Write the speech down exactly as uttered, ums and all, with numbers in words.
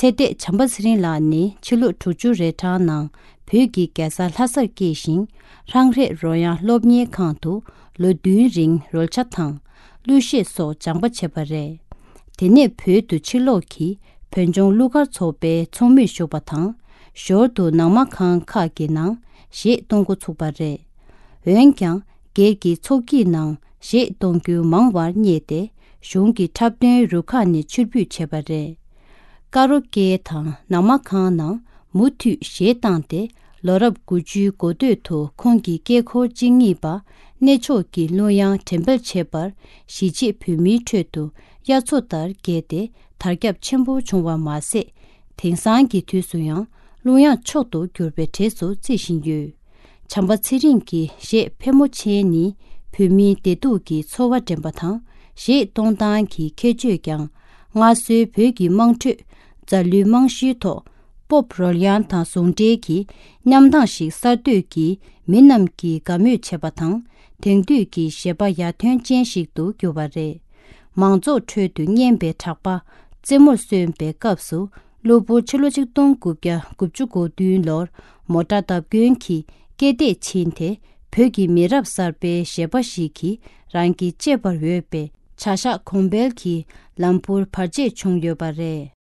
ཚེ་འདས་བྱམས་པ་ཚེ་རིང་ལགས་ནི་ཕྱི་ལོ་དྲུག་ཅུ་རེ་གྲངས་ནང་བོད་ཀྱི་རྒྱལ་ས་ལྷ་སར་སྐྱེས་ཤིང་། ཧྲང་ཧྲེ་རོལ་དབྱངས་སློབ་གཉེར་ཁང་དུ་ལོ་བདུན་རིང་རོལ་ཆ་དང་གླུ་གཞས་སོགས་སྦྱངས་པ་བྱས་པ་རེད། དེ་ནས་བོད་དུ་ཕྱིར་ལོག་གིས་བོད་ལྗོངས་གླུ་གར་ཚོགས་པའི་ཚོགས་མིར་ཞུགས་པ་དང་། ཞོར་དུ་ནང་མ་ཁང་ཁག་གི་ནང་གཞས་གཏོང་འགོ་ཚུགས་པ་རེད། འོན་ཀྱང་སྒེར་གྱི་ཚོགས་ཀྱི་ནང་གཞས་གཏོང་རྒྱུ་མང་བར་བསྙད་དེ། གཞུང་གི་འཁྲབ་སྟོན་རུ་ཁག་ནས་ཕྱིར་འབུད་བྱས་པ་རེད། ཀ་རོ་ཀེ་དང་ནང་མ་ཁང་ནང་མུ་མཐུད་གཞས་བཏང་སྟེ། ལོ་རབས་དགུ་བཅུའི་འགོ་སྟོད་དུ་ཁོང་གི་སྐེ་འཁོར་བཅུ་གཉིས་པ་གནས་མཆོག་གི་གླུ་དབྱངས་འགྲེམས་སྤེལ་བྱས་པར། གཞིས་བྱེས་བོད་མིའི་ཁྲོད་དུ་དབྱར་མཚོ་ལྟར་རྒྱས་ཏེ། དར་ཁྱབ་ཆེན་པོ་བྱུང་བ་མ་ཟད། དེང་སང་གི་དུས་སུ་ཡང་གླུ་དབྱངས་མཆོག་ཏུ་གྱུར་པའི་གྲས་སུ་བརྩི་བཞིན་ཡོད། བྱམས་པ་ཚེ་རིང་གི་གཞས་ཕལ་མོ་ཆེ་ནི་བོད་མིའི་བདེ་སྡུག་གི་ཚོར་བ་འདྲེན་པ་དང་། གཞས་གཏོང་སྟངས་ཀྱི་ཁྱད་ཆོས་ཀྱང་སྔར་སྲོལ་བོད་ཀྱི་དམངས་ཁྲོད་མཛའ་གླུའི་རྨང་གཞིའི་ཐོག་པོབ་རོལ་དབྱངས་དང་ཟུང་འབྲེལ་གྱི་མཉམ་དྭངས་ཤིག་གསར་གཏོད་ཀྱིས་མི་རྣམས་ཀྱིས་དགའ་མོས་བྱེད་པ་དང་། དེང་དུས་ཀྱི་གཞས་པ་ཡར་ཐོན་ཅན་ཞིག་ཏུ་གྱུར་བ་རེད། མང་ཚོགས་ཁྲོད་དུ་སྙན་པའི་གྲགས་པ་རྩེ་མོར་སོན་པའི་སྐབས་སུ། གློ་བུར་ཕྱི་ལོ་ཆིག་སྟོང་དགུ་བརྒྱ་དགུ་བཅུ་གོ་བདུན་ལོར་མོ་ཊ་བརྡབ་སྐྱོན་གྱིས་སྐེ་ཐེད་ཕྱིན་ཏེ། བོད་ཀྱི་མི་རབས་གསར་པའི་གཞས་པ་ཞིག་གིས་རང་གི་གཅེས་པར་འོས་པའི་བྱ་གཞག་གོང་འཕེལ་གྱི་ལམ་བུར་བར་ཆད་བྱུང་ཡོད་པ་རེད།